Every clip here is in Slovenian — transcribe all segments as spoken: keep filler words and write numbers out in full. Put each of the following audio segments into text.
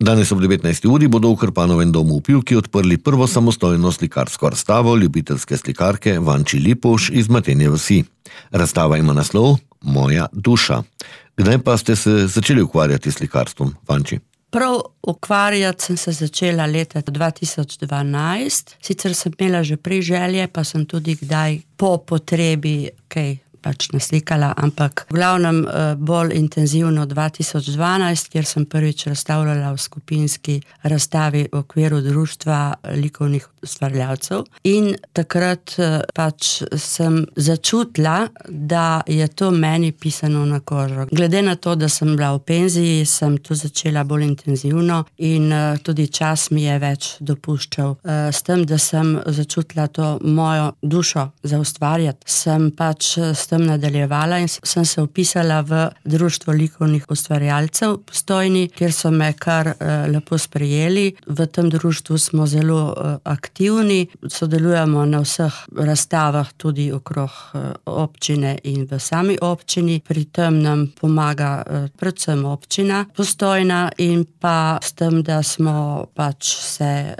Danes ob devetnajsti uri bodo v Krpanovem domu v Pivki odprli prvo samostojno slikarsko razstavo ljubiteljske slikarke Vanči Lipovž iz Matenje vasi. Razstava ima naslov Moja duša. Kdaj pa ste se začeli ukvarjati s slikarstvom, Vanči? Prav ukvarjati sem se začela leta dva tisoč dvanajst. Sicer sem imela že prej želje, pa sem tudi kdaj po potrebi kaj pač naslikala, ampak v glavnem bolj intenzivno dva tisoč dvanajst, kjer sem prvič razstavljala v skupinski razstavi v okviru društva likovnih ustvarjalcev. In takrat pač sem začutila, da je to meni pisano na kožo. Glede na to, da sem bila v penziji, sem to začela bolj intenzivno in tudi čas mi je več dopuščal. S tem, da sem začutila to mojo dušo za ustvarjati, sem pač s tem nadaljevala in sem se vpisala v društvo likovnih ustvarjalcev Postojni, kjer so me kar lepo sprejeli. V tem društvu smo zelo aktivni, sodelujemo na vseh razstavah tudi okrog občine in v sami občini. Pri tem nam pomaga predvsem občina Postojna in pa s tem, da smo pač se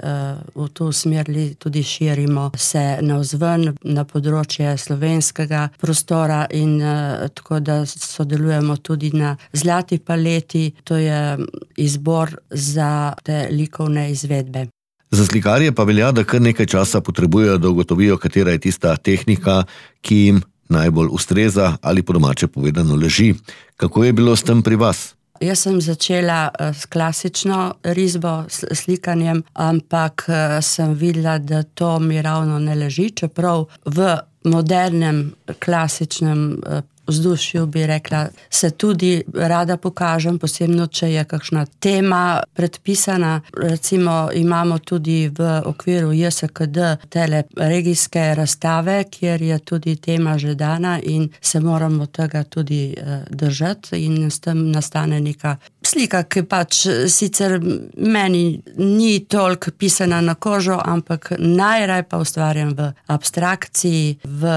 v to usmerili, tudi širimo se navzven na področje slovenskega prostora in uh, tako da sodelujemo tudi na Zlati paleti, to je izbor za te likovne izvedbe. Za slikarje pa velja, da kar nekaj časa potrebujejo, da ugotovijo, katera je tista tehnika, ki jim najbolj ustreza ali po domače povedano leži. Kako je bilo s tem pri vas? Jaz sem začela s klasično risbo, s slikanjem, ampak sem videla, da to mi ravno ne leži, čeprav v modernem, klasičnem vzdušju bi rekla, se tudi rada pokažem, posebno, če je kakšna tema predpisana. Recimo imamo tudi v okviru J S K D tele regijske razstave, kjer je tudi tema že dana in se moramo tega tudi držati in s tem nastane neka slika, ki pač sicer meni ni toliko pisana na kožo, ampak najraj pa ustvarjam v abstrakciji, v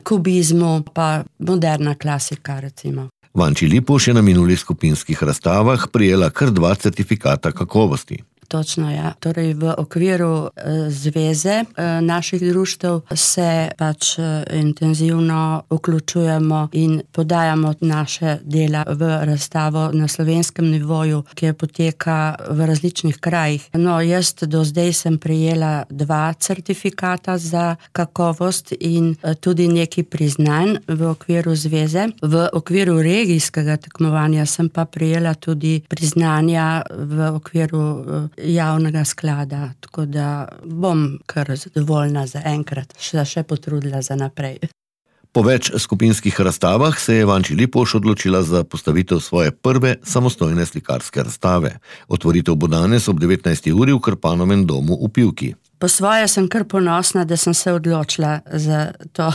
kubizmu, pa moderna klasika, recimo. Vanči Lipovž je na minulih skupinskih razstavah prijela kar dva certifikata kakovosti. Točno, ja. Torej v okviru e, zveze e, naših društev se pač e, intenzivno vključujemo in podajamo naše dela v razstavo na slovenskem nivoju, ki poteka v različnih krajih. No, jaz do zdaj sem prejela dva certifikata za kakovost in e, tudi neki priznanj v okviru zveze. V okviru regijskega tekmovanja sem pa prejela tudi priznanja v okviru e, javnega sklada, tako da bom kar zadovoljna za enkrat, še, še potrudila za naprej. Po več skupinskih razstavah se je Vanči Lipovž odločila za postavitev svoje prve samostojne slikarske razstave. Otvoritev bo danes ob devetnajsti uri v Krpanovem domu v Pivki. Po svoje sem kar ponosna, da sem se odločila za to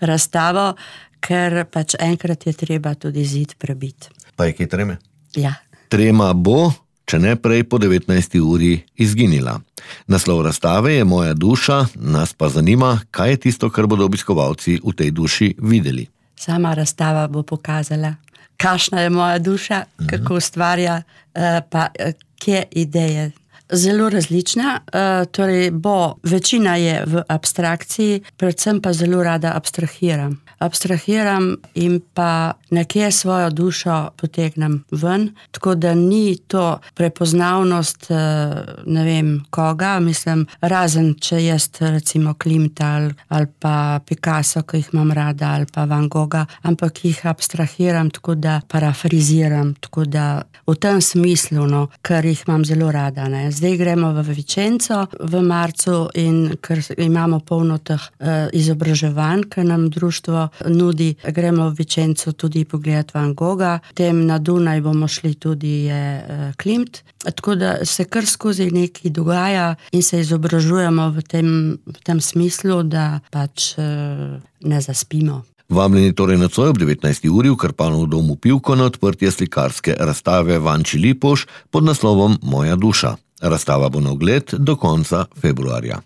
razstavo, ker pač enkrat je treba tudi zid prebiti. Pa je kaj treme? Ja. Trema bo, če ne prej po devetnajsti uri izginila. Naslov razstave je Moja duša, nas pa zanima, kaj je tisto, kar bodo obiskovalci v tej duši videli. Sama razstava bo pokazala, kakšna je moja duša, mhm. kako ustvarja, pa kje ideje. Zelo različna, torej bo, večina je v abstrakciji, predvsem pa zelo rada abstrahiram. Abstrahiram in pa nekje svojo dušo potegnem ven, tako da ni to prepoznavnost ne vem koga, mislim, razen če jaz recimo Klimta ali, ali pa Picasso, ki jih imam rada, ali pa Van Gogha, ampak jih abstrahiram, tako da parafriziram, tako da v tem smislu, no, ker jih imam zelo rada, ne. Zdaj gremo v Vičenco v marcu in ker imamo polno teh uh, izobraževanj, ker nam društvo nudi, gremo v Vičenco tudi pogledati Van Gogha, tem na Dunaj bomo šli tudi je uh, Klimt, tako da se kar skozi nekaj dogaja in se izobražujemo v tem, v tem smislu, da pač uh, ne zaspimo. Vabljeni torej nocoj ob devetnajsti uri v Krpanovem domu Pivko na odprtje slikarske razstave Vanči Lipovž pod naslovom Moja duša. Razstava bo na ogled do konca februarja.